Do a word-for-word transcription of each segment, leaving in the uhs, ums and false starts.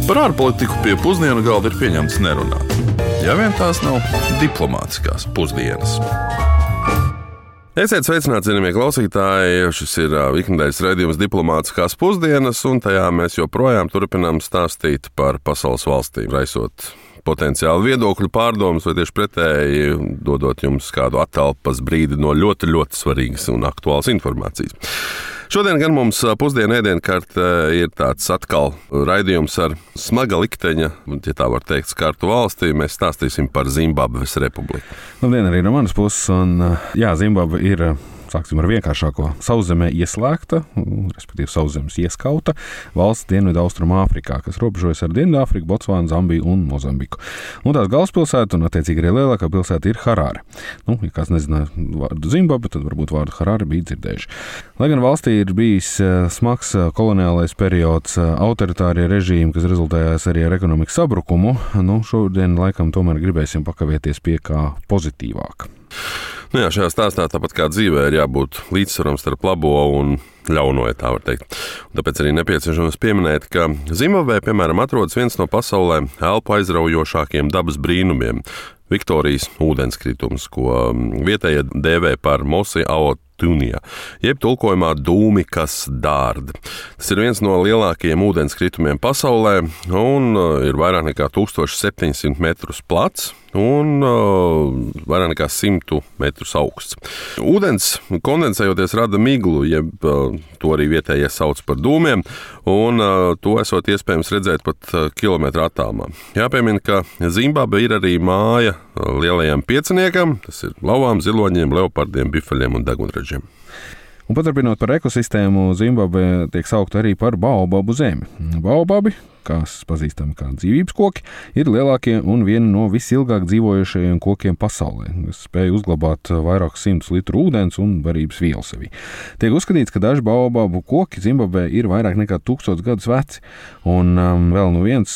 Par ārpolitiku pie pusdienu galda ir pieņemts nerunāt. Ja vien tās nav diplomātiskās pusdienas. Esiet sveicināti, cienījamie klausītāji. Šis ir ikdienas raidījums Diplomātiskās pusdienas, un tajā mēs joprojām turpinām stāstīt par pasaules valstīm, raisot potenciāli viedokļu pārdomas, vai tieši pretēji dodot jums kādu atelpas brīdi no ļoti, ļoti svarīgas un aktuālas informācijas. Šodien gan mums pusdienu ēdienkarte ir tāds atkal raidījums ar smaga likteņa, ja tā var teikt, skartu valstī. Mēs stāstīsim par Zimbabves republiku. Labdien arī no manas puses, un jā, Zimbabve ir, sāksim ar vienkāršāko, sauszemē ieslēgta, respektīvi sauszemes ieskauta valsts Dienvidu Austrumu Āfrikā, kas robežojas ar Dienvidāfriku, Botsvānu, Zambiju un Mozambiku. Un tās galvaspilsēta un attiecīgi arī lielākā pilsēta ir Harare. Nu, ja kāds nezināja vārdu Zimbabve, tad varbūt vārdu Harare bija dzirdējuši. Lai gan valstī ir bijis smags koloniālais periods, autoritārie režīmi, kas rezultējās arī ar ekonomikas sabrukumu, nu, šodien laikam tomēr gribēsim pakavēties pie kā pozitīvāk. Nu jā, šajā stāstā, tāpat kā dzīvē, ir jābūt līdzsvaram starp labo un ļauno, ja tā var teikt. Un tāpēc arī nepieciešams pieminēt, ka Zimbabvē, piemēram, atrodas viens no pasaulē elpu aizraujošākiem dabas brīnumiem – Viktorijas ūdenskritums, ko vietējie dēvē par Mosi Aotunija, jeb tulkojumā dūmi, kas dārd. Tas ir viens no lielākajiem ūdenskritumiem pasaulē un ir vairāk nekā tūkstoš septiņsimt metrus plats un uh, vairāk nekā simt metrus augsts. Ūdens kondensējoties rada miglu, jeb uh, to arī vietējie sauc par dūmiem, un uh, to esot iespējams redzēt pat uh, kilometru attālumā. Jāpiemina, ka Zimbabve ir arī māja uh, lielajam pieciniekam, tas ir lauvām, ziloņiem, leopardiem, bifeļiem un degunraģiem. Un paturpinot par ekosistēmu, Zimbabve tiek saukta arī par baobabu zemi. Baobabi, kas pazīstami kā dzīvības koki, ir lielākie un vieni no visilgāk dzīvojušajiem kokiem pasaulē, kas spēj uzglabāt vairākus simtus litru ūdens un barības vielu sevī. Tiek uzskatīts, ka daži baobabu koki Zimbabvē ir vairāk nekā tūkstots gadus veci, un um, vēl no viens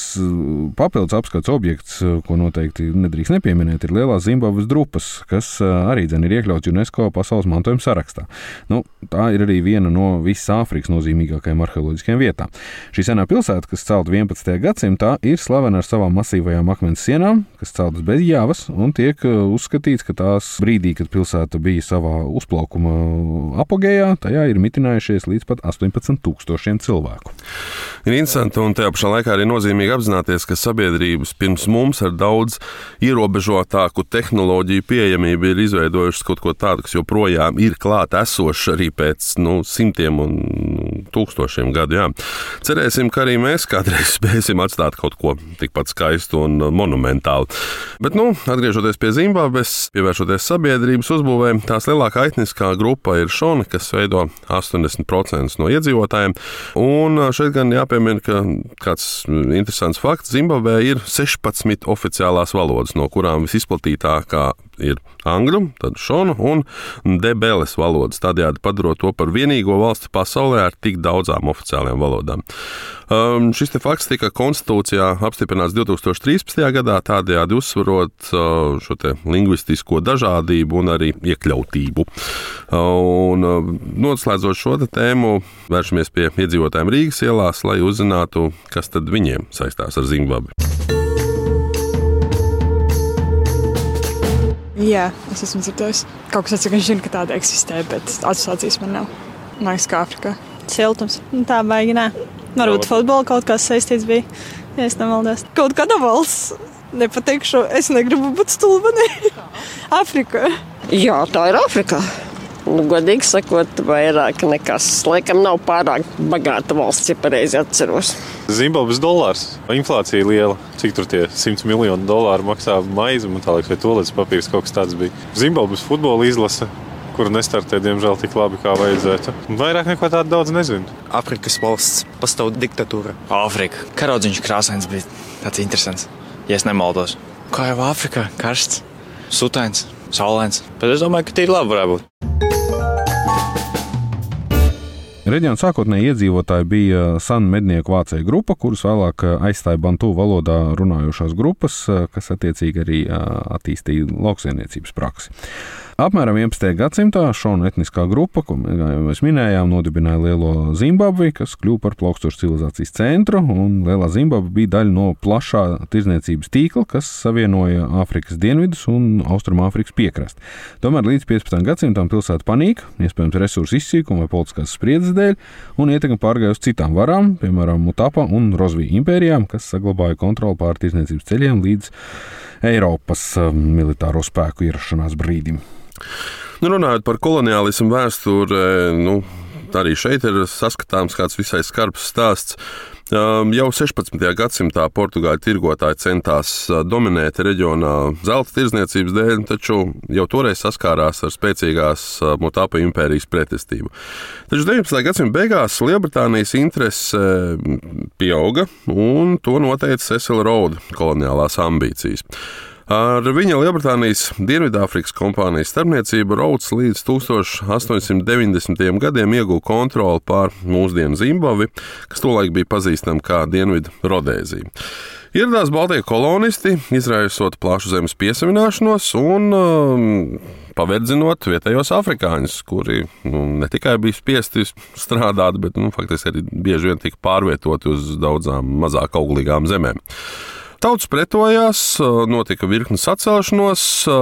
papildus apskats objekts, ko noteikti nedrīkst nepieminēt, ir lielās Zimbabves drupas, kas uh, arī dzen ir iekļauts UNESCO pasaules mantojuma sarakstā. Nu, tā ir arī viena no visas Āfrikas nozīmīgākajām arheoloģiskajām vietām. Šī senā pilsēta, kas celta vienpadsmitajā gadsimtā, ir slavena ar savām masīvajām akmens sienām, kas celtas bez jāvas, un tiek uzskatīts, ka tās brīdī, kad pilsēta bija savā uzplaukuma apogējā, tajā ir mitinājušies līdz pat astoņpadsmit tūkstošiem cilvēku. Ir interesanti un tajā pašā laikā arī nozīmīgi apzināties, ka sabiedrības pirms mums ar daudz ierobežotāku tehnoloģiju pieejamību ir izveidojušas kaut ko tādu, kas joprojām ir klāt esošs arī pēc nu, simtiem un tūkstošiem gadu. Jā. Cerēsim, ka arī mēs kādreiz spēsim atstāt kaut ko tikpat skaistu un monumentālu. Bet, nu, atgriežoties pie Zimbabves, pievēršoties sabiedrības uzbūvē, tās lielākā etniskā grupa ir šoni, kas veido astoņdesmit procentus no iedzīvotājiem. Un šeit gan jāpiemina, ka kāds interesants fakts, Zimbabvē ir sešpadsmit oficiālās valodas, no kurām visizplatītākā ir angļu, tad šonu un debeles valodas, tādējādi padarot to par vienīgo valsti pasaulē ar tik daudzām oficiālajām valodām. Um, šis te fakts tika konstitūcijā apstiprināts divtūkstoš trīspadsmitajā gadā, tādējādi uzsvarot uh, šo te lingvistisko dažādību un arī iekļautību. Uh, un uh, noslēdzot šo te tēmu, vēršamies pie iedzīvotājiem Rīgas ielās, lai uzzinātu, kas tad viņiem saistās ar Zimbabvi. Jā, es esmu dzirdējis. Kaut kas atsaka, zinu, ka tāda eksistē, bet asociācijas man nav. Man liekas, kā Afrikā. Siltums. Tā baigi, nē. Varbūt futbola kaut kas saistīts bija, ja es nemaldos. Kaut kāda valsts, nepateikšu, es negribu būt stulbani. Afrika. Jā, tā ir Afrikā. Nu, godīgi sakot, vairāk nekas. Laikam nav pārāk bagāta valsts, ja pareizi atceros. Zimbabves dolārs. Inflācija liela. Cik tur tie simts miljonu dolāru maksā maizi, man tā liekas, vai toaletes papīrs kaut kas tāds bija. Zimbabves futbola izlase, kura nestartē, diemžēl, tik labi, kā vajadzētu. Vairāk neko tādu daudz nezinu. Afrikas valsts pastāv diktatūra. Āfrika. Karaudziņš krāsains bija tāds interesants, ja es nemaldos. Kā jau Āfrikā, karsts, sutains, saulains. Bet es domāju, ka tīri labi varētu būt. Reģiona sākotnēji iedzīvotāji bija San mednieku vācēju grupa, kurus vēlāk aizstāja bantu valodā runājošās grupas, kas attiecīgi arī attīstīja lauksaimniecības praksi. Apmēram vienpadsmitajā gadsimtā šona etniskā grupa, ko mēs minējām, nodibināja Lielo Zimbabvi, kas kļuva par plaukstošu civilizācijas centru, un Lielā Zimbabve bija daļa no plašā tirdzniecības tīkla, kas savienoja Āfrikas dienvidus un Austrumāfrikas piekrasti. Tomēr līdz piecpadsmitajam gadsimtam pilsēta panika, iespējams resursu izsīkuma vai politiskās spriedzes dēļ, un ietekme pārgāja uz citām varām, piemēram, Mutapa un Rozvija impērijām, kas saglabāja kontroli pār tirdzniecības ceļiem līdz Eiropas militāro spēku ierašanās brīdim. Nu, runājot par koloniālismu vēsturi, nu, arī šeit ir saskatāms kāds visai skarbs stāsts. Jau sešpadsmitajā gadsimtā portugāļu tirgotāji centās dominēt reģionā zelta tirdzniecības dēļ, taču jau toreiz saskārās ar spēcīgās Mutapa impērijas pretestību. Taču deviņpadsmitā gadsimta beigās Lielbritānijas interese pieauga, un to noteica Cecil Rhoda koloniālās ambīcijas. Ar viņa Lielbritānijas Dienvidāfrikas kompānijas starpniecību Rhods līdz tūkstoš astoņsimt deviņdesmitajiem gadiem ieguva kontroli pār mūsdienu Zimbabvi, kas tolaik bija pazīstama kā Dienvidu Rodēzija. Ieradās baltie kolonisti, izraisot plašu zemes piesavināšanos un um, paverdzinot vietējos afrikāņus, kuri nu, ne tikai bija spiesti strādāt, bet nu, faktiski arī bieži vien tika pārvietoti uz daudzām mazāk auglīgām zemēm. Tautas pretojās, notika virkni sacelšanos,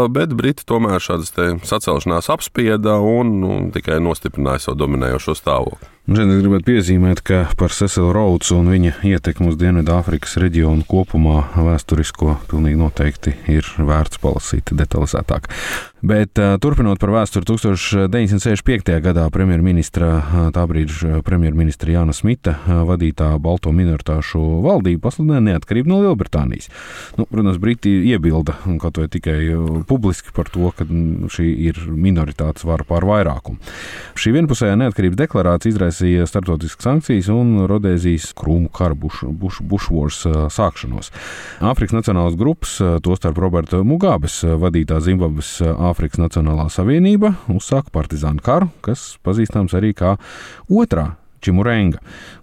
bet Briti tomēr šādas te sacelšanās apspieda un nu, tikai nostiprināja savu dominējošo stāvokli. Šeit es gribētu piezīmēt, ka par Cecil Rhodes un viņa ietekmi uz Dienvidāfrikas reģionu kopumā vēsturisko pilnīgi noteikti ir vērts palasīt detalizētāk. Bet turpinot par vēsturi, tūkstoš deviņsimt sešdesmit piektajā gadā premjerministra, tā brīža premjerministra Jāna Smita vadītā balto minoritāšu valdība pasludināja neatkarību no Lielbritānijas. Nu, protams, Briti iebilda kaut vai tikai publiski par to, ka šī ir minoritātes vara pār vairākumu. Šī vienpusējā neatkarības deklarācija izraisīja starptautiskas sankcijas un Rodēzijas krūmu kara buš, buš, bušvors sākšanos. Āfrikas nacionālās grupas, tostarp Roberta Mugabes vadītā Zimbabves Āfrikas Nacionālā savienība, uzsāka partizānu karu, kas pazīstams arī kā otrā Čimurenga.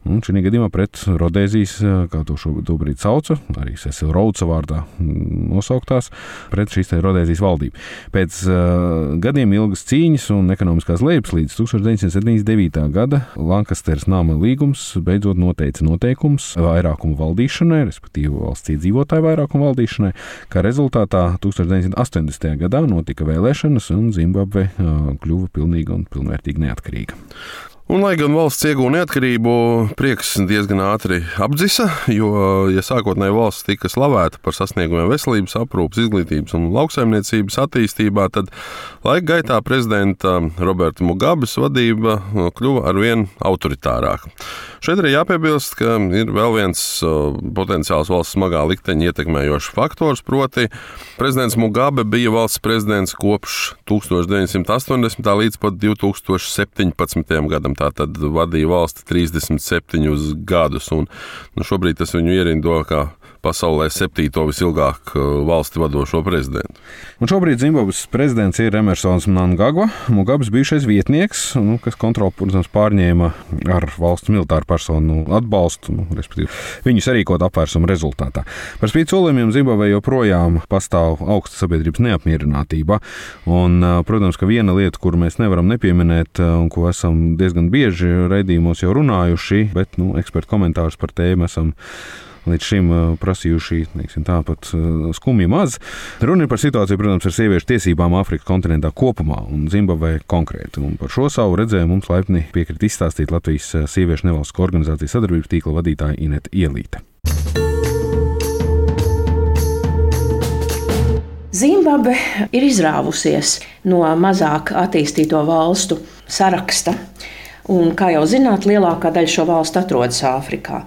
Un šī gadījumā pret Rodēzijas, kā to šobrīd sauca, arī Cecil Rhodes vārdā nosauktās, pret šīs te Rodēzijas valdību. Pēc uh, gadiem ilgas cīņas un ekonomiskās lejupslīdes tūkstoš deviņsimt septiņdesmit devītā gada Lankasteras nama līgums beidzot noteica noteikums vairākumu valdīšanai, respektīvi valsts iedzīvotāju vairākumu valdīšanai, kā rezultātā tūkstoš deviņsimt astoņdesmitajā gadā notika vēlēšanas un Zimbabve uh, kļuva pilnīga un pilnvērtīgi neatkarīga. Un, lai gan valsts iegūta neatkarību, prieks diezgan ātri apdzisa, jo, ja sākotnēji valsts tika slavēta par sasniegumiem veselības aprūpes, izglītības un lauksaimniecības attīstībā, tad laika gaitā prezidenta Roberta Mugabes vadība kļuva arvien autoritārāka. Šeit arī jāpiebilst, ka ir vēl viens potenciāls valsts smagā likteņa ietekmējošs faktors, proti prezidents Mugabe bija valsts prezidents kopš tūkstoš deviņsimt astoņdesmitā līdz pat divi tūkstoši septiņpadsmitajam gadam. Tātad vadīja valsti trīsdesmit septiņus gadus, un nu, šobrīd tas viņu ierindo kā pasaulē septīto visilgāk valsti vadošo prezidentu. Un šobrīd Zimbabves prezidents ir Emersons Mnangagwa, Mugabes bijušais vietnieks, nu, kas kontroli, protams, pārņēma ar valsts militāru personu atbalstu, nu, respektīvi viņu sarīkot apvērsumu rezultātā. Par spīti solījumiem Zimbabvē joprojām pastāv augsta sabiedrības neapmierinātība, un, protams, ka viena lieta, kuru mēs nevaram nepieminēt, un ko esam diezgan bieži raidījumos jau runājuši, bet, nu, ekspertu komentārus par tēmu esam līdz šim prasījuši, neiksim, tāpat skumji maz. Runa ir par situāciju, protams, ar sieviešu tiesībām Āfrikas kontinentā kopumā un Zimbabvē konkrēti. Un par šo savu redzējumu mums laipni piekrita izstāstīt Latvijas sieviešu nevalstisko organizāciju sadarbības tīkla vadītāja Inete Ielīte. Zimbabve ir izrāvusies no mazāk attīstīto valstu saraksta. Un, kā jau zināt, lielākā daļa šo valstu atrodas Āfrikā.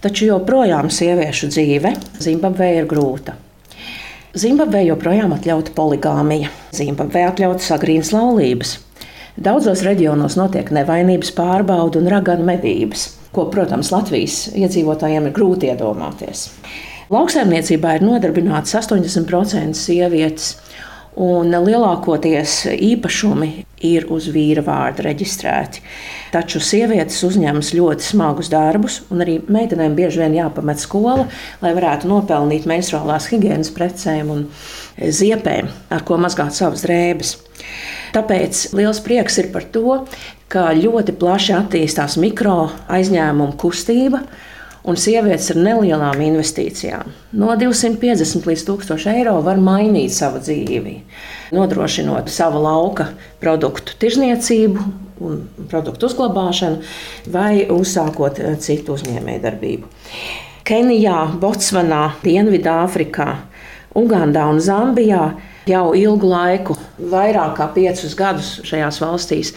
Taču joprojām sieviešu dzīve Zimbabvē ir grūta. Zimbabvē joprojām atļauta poligāmija. Zimbabvē atļautas agrīnas laulības. Daudzos reģionos notiek nevainības pārbaude un raganu medības, ko, protams, Latvijas iedzīvotājiem ir grūti iedomāties. Lauksaimniecībā ir nodarbinātas astoņdesmit procenti sievietes, un lielākoties īpašumi ir uz vīra vārda reģistrēti. Taču sievietes uzņemas ļoti smagus darbus, un arī meitenēm bieži vien jāpamet skola, lai varētu nopelnīt menstruālās higienas precēm un ziepēm, ar ko mazgāt savas drēbes. Tāpēc liels prieks ir par to, ka ļoti plaši attīstās mikro aizņēmumu kustība, un sievietes ar nelielām investīcijām no divsimt piecdesmit līdz tūkstoš eiro var mainīt savu dzīvi, nodrošinot savu lauka produktu tirzniecību un produktu uzglabāšanu vai uzsākot citu uzņēmējdarbību. Kenijā, Botsvanā, Dienvidāfrikā, Ugandā un Zambijā jau ilgu laiku, vairāk kā piecus gadus šajās valstīs,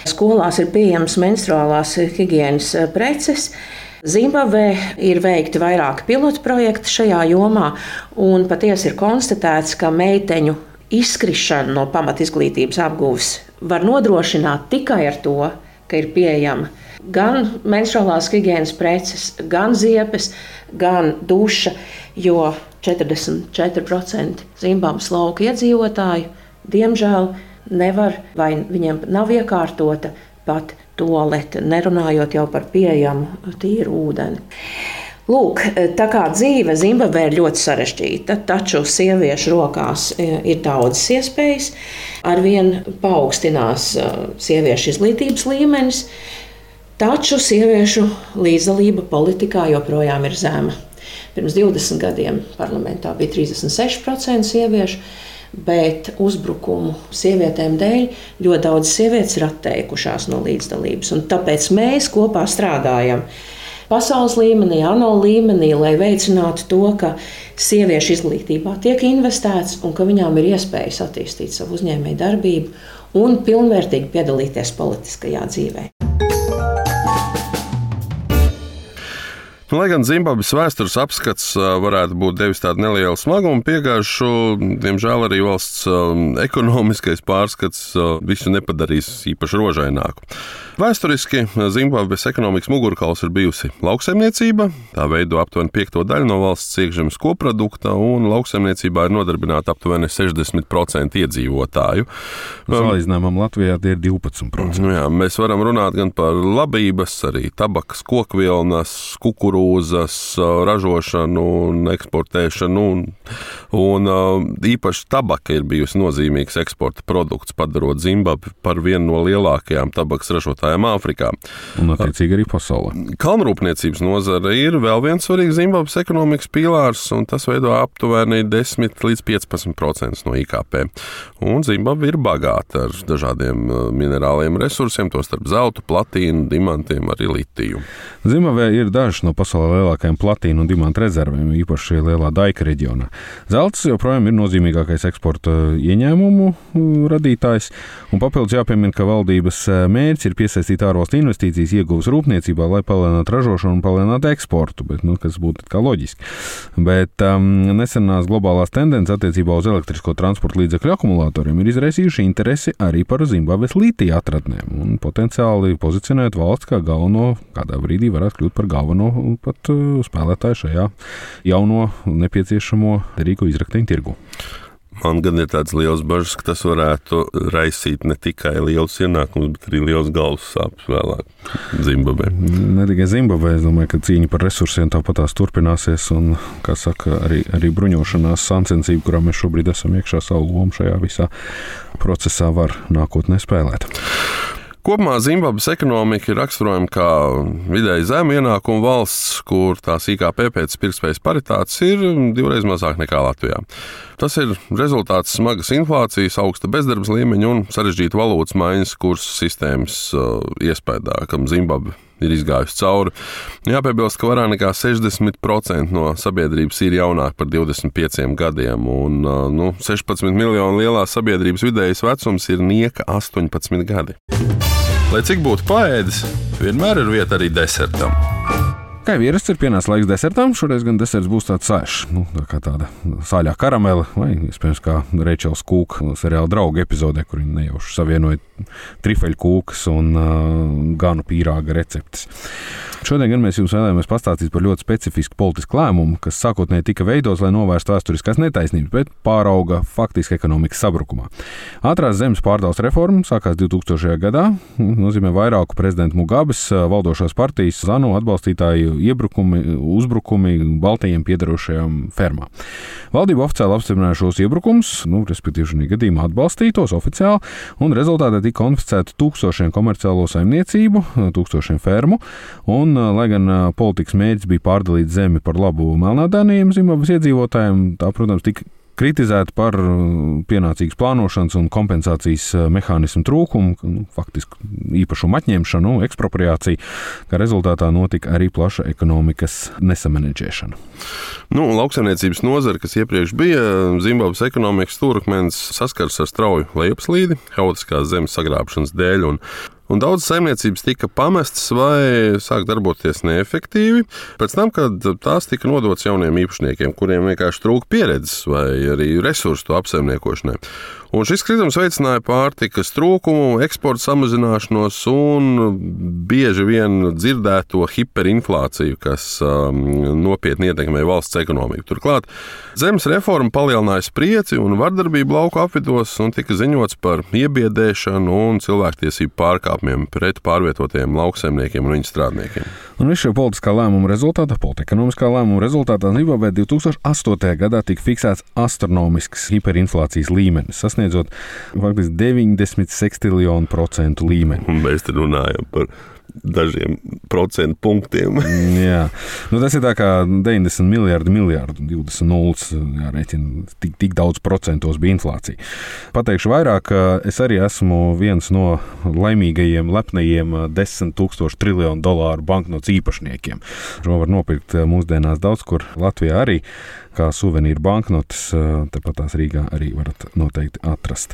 skolās ir pieejamas menstruālās higienas preces. Zimbabvē ir veikti vairāki pilotu projekti šajā jomā, un patiesi ir konstatēts, ka meiteņu izkrišana no pamatizglītības apguves var nodrošināt tikai ar to, ka ir pieejama gan menstruālās higienas preces, gan ziepes, gan duša, jo četrdesmit četri procenti Zimbabves lauku iedzīvotāju, diemžēl, nevar vai viņiem nav iekārtota pat tualete, nerunājot jau par pieejamu tīru ūdeni. Lūk, tā kā dzīve Zimbabvē ir ļoti sarežģīta, taču sieviešu rokās ir daudzas iespējas, arvien paaugstinās sieviešu izglītības līmenis, taču sieviešu līdzdalība politikā joprojām ir zema. Pirms divdesmit gadiem parlamentā bija trīsdesmit seši procenti sieviešu, bet uzbrukumu sievietēm dēļ ļoti daudz sievietes ir atteikušās no līdzdalības. Un tāpēc mēs kopā strādājam pasaules līmenī, ANO līmenī, lai veicinātu to, ka sieviešu izglītībā tiek investēts un ka viņām ir iespējas attīstīt savu uzņēmēju darbību un pilnvērtīgi piedalīties politiskajā dzīvē. Lai gan Zimbabves vēstures apskats varētu būt devis tādu nelielu smagumu piegājušu, diemžēl arī valsts ekonomiskais pārskats visu nepadarīs īpaši rožaināku. Vēsturiski Zimbabves ekonomikas mugurkauls ir bijusi lauksaimniecība. Tā veido aptuveni piekto daļu no valsts iekšzemes koprodukta, un lauksaimniecībā ir nodarbināta aptuveni sešdesmit procenti iedzīvotāju. Salīdzinājumam Latvijā tie ir divpadsmit procenti. Nu jā, mēs varam runāt gan par labības, arī tabakas, kokvilnas, kukurūzas ražošanu un eksportēšanu, un, un īpaši tabaka ir bijusi nozīmīgs eksporta produkts, padarot Zimbabvi par vienu no lielākajām tabakas ražotājiem Āfrikā. Un attiecīgi arī pasaulē. Kalnrūpniecības nozare ir vēl viens svarīgs Zimbabves ekonomikas pīlārs, un tas veido aptuveni desmit līdz piecpadsmit procenti no I K P. Un Zimbabve ir bagāta ar dažādiem minerāliem resursiem, tostarp zeltu, platīnu, dimantiem, arī litiju. Zimbabvē ir dažas no pasaulē lielākajām platīnu un dimantu rezervēm, īpaši lielā Daika reģionā. Zelts joprojām ir nozīmīgākais eksporta ieņēmumu radītājs, un papildus jāpiemina, ka valdības mērķis ir piesaistīt ārvalstu investīcijas ieguves rūpniecībā, lai palielinātu ražošanu un palielinātu eksportu, bet, nu, kas būtu kā loģiski. Bet um, nesenās globālās tendences attiecībā uz elektrisko transporta līdzekļu akumulatoriem ir izraisījuši interesi arī par Zimbabves litija atradnēm un potenciāli pozicionēt valsts kā galveno, kādā brīdī varētu kļūt par galveno pat uh, spēlētāju šajā jauno nepieciešamo rīku izrakteņu tirgu. Man gan ir tāds liels bažas, ka tas varētu raisīt ne tikai lielus ienākumus, bet arī liels galvas sāpes vēlāk Zimbabvē. Ne tikai Zimbabvē, es domāju, ka cīņa par resursiem tāpat tās turpināsies un, kā saka, arī, arī bruņošanās sāncensība, kurā mēs šobrīd esam iekšā, savu lomu šajā visā procesā var nākotnē spēlēt. Kopumā Zimbabves ekonomika ir raksturojama kā vidēji zemu ienākumu valsts, kur tās I K P pēc pirktspējas paritātes ir divreiz mazāk nekā Latvijā. Tas ir rezultāts smagas inflācijas, augsta bezdarbas līmeņa un sarežģīta valūtas maiņas kursu sistēmas uh, iespējā, kam Zimbabve ir izgājusi cauri. Jāpiebilst, ka vairāk nekā sešdesmit procenti no sabiedrības ir jaunāki par divdesmit pieciem gadiem, un uh, nu, sešpadsmit miljonu lielās sabiedrības vidējais vecums ir nieka astoņpadsmit gadi. Lai cik būtu paēdis, vienmēr ir vieta arī desertam. Kā jau ierasts, ir pienācis laiks desertam. Šoreiz gan deserts būs tāds saišs, nu, tā kā tāda sāļā karamele, vai iespējams kā Reičels Kūka seriāla Draugi epizodē, kur viņi nejauši savienoja trifeļu kūkas un uh, ganu pīrāga receptes. Šodien gan mēs jums vēlamies pastāstīt par ļoti specifisku politisku lēmumu, kas sākotnēji tika veidots, lai novērstu vēsturiskās netaisnības, bet pārauga faktiski ekonomikas sabrukumā. Ātrās zemes pārdales reforma sākās divtūkstošajā gadā, nozīmē vairāku prezidentu Mugabes valdošās partijas ZANU atbalstītāju iebrukumi, uzbrukumi Baltijiem piedarošajām fermām. Valdība oficiāli apstiprināja šos iebrukumus, nu, respektīvi šajā gadījumā atbalstītos oficiāli, un rezultātā tika konfiscēti tūkstošiem komerciālo saimniecību, tūkstošiem fermu, un, lai gan politikas mērķis bija pārdalīt zemi par labu melnādāniem Zimbabves iedzīvotājiem, tā, protams, tika kritizēta par pienācīgas plānošanas un kompensācijas mehānismu trūkumu, nu, faktiski īpašumu atņemšanu, ekspropriāciju, kā rezultātā notika arī plaša ekonomikas nesamanedžēšana. Nu, lauksaimniecības nozare, kas iepriekš bija Zimbabves ekonomikas stūrakmens, saskars ar strauju lejupslīdi, haotiskās zemes sagrābšanas dēļ, un Un daudz saimniecības tika pamestas vai sāk darboties neefektīvi. Pēc tam, kad tās tika nodotas jauniem īpašniekiem, kuriem vienkārši trūka pieredzes vai arī resursu to apsaimniekošanai. Un šis kritums veicināja pārtikas trūkumu, eksporta samazināšanos un bieži vien dzirdēto hiperinflāciju, kas um, nopietni ietekmē valsts ekonomiku. Turklāt zemes reforma palielināja spriedzi un vardarbību lauku apvidos un tika ziņots par iebiedēšanu un cilvēktiesību pārkāpumiem pret pārvietotiem lauksaimniekiem un viņu strādniekiem. Un visu šo politiskā lēmuma rezultātā, politiekonomiskā lēmuma rezultātā Zimbabvē divtūkstoš astotajā gadā tika fiksēts astronomisks hiperinflācijas līmenis, sasniedzot faktiski deviņdesmit sekstiljonu procentu līmeni. Un mēs te runājam par dažiem procentu punktiem. Jā, nu, tas ir tā kā deviņdesmit miljardi, miljardi, divdesmit nulles, jārēķina, tik, tik daudz procentos bija inflācija. Pateikšu vairāk, es arī esmu viens no laimīgajiem, lepnajiem desmit tūkstošu triljonu dolāru banknotes īpašniekiem. Šo var nopirkt mūsdienās daudz, kur Latvijā arī, kā suvenīru banknotes, tepat tās Rīgā arī varat noteikti atrast.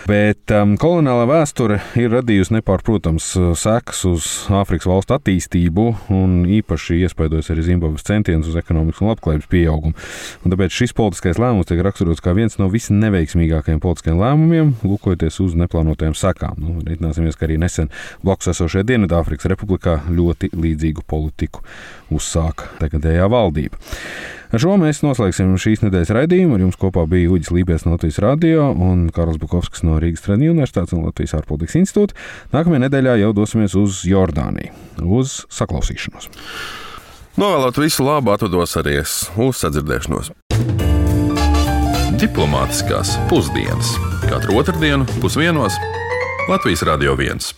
Bet um, koloniālā vēsture ir radījusi nepārprotams sekas uz Āfrikas valstu attīstību un īpaši iespaidojas arī Zimbabves centienus uz ekonomikas un labklājības pieaugumu. Un tāpēc šis politiskais lēmums tiek raksturots kā viens no visneveiksmīgākajiem politiskajiem lēmumiem, lūkojoties uz neplānotajām sekām. Nu, reiķināsimies, ka arī nesen blakus esošajā Dienvidāfrikas republikā ļoti līdzīgu politiku uzsāka tagadējā valdība. Ar šo mēs noslēgsim šīs nedēļas raidījumu. Ar jums kopā bija Uģis Līpies no Latvijas radio un Karls Bukovskis no Rīgas Tradiņu universitātes un Latvijas ārpolitikas institūta. Nākamajā nedēļā jau dosimies uz Jordāniju. Uz saklausīšanos. Novēlot visu labu, atvados arī es. Uz sadzirdēšanos. Diplomātiskās pusdienas. Katru otrdienu pusdienos Latvijas radio viens.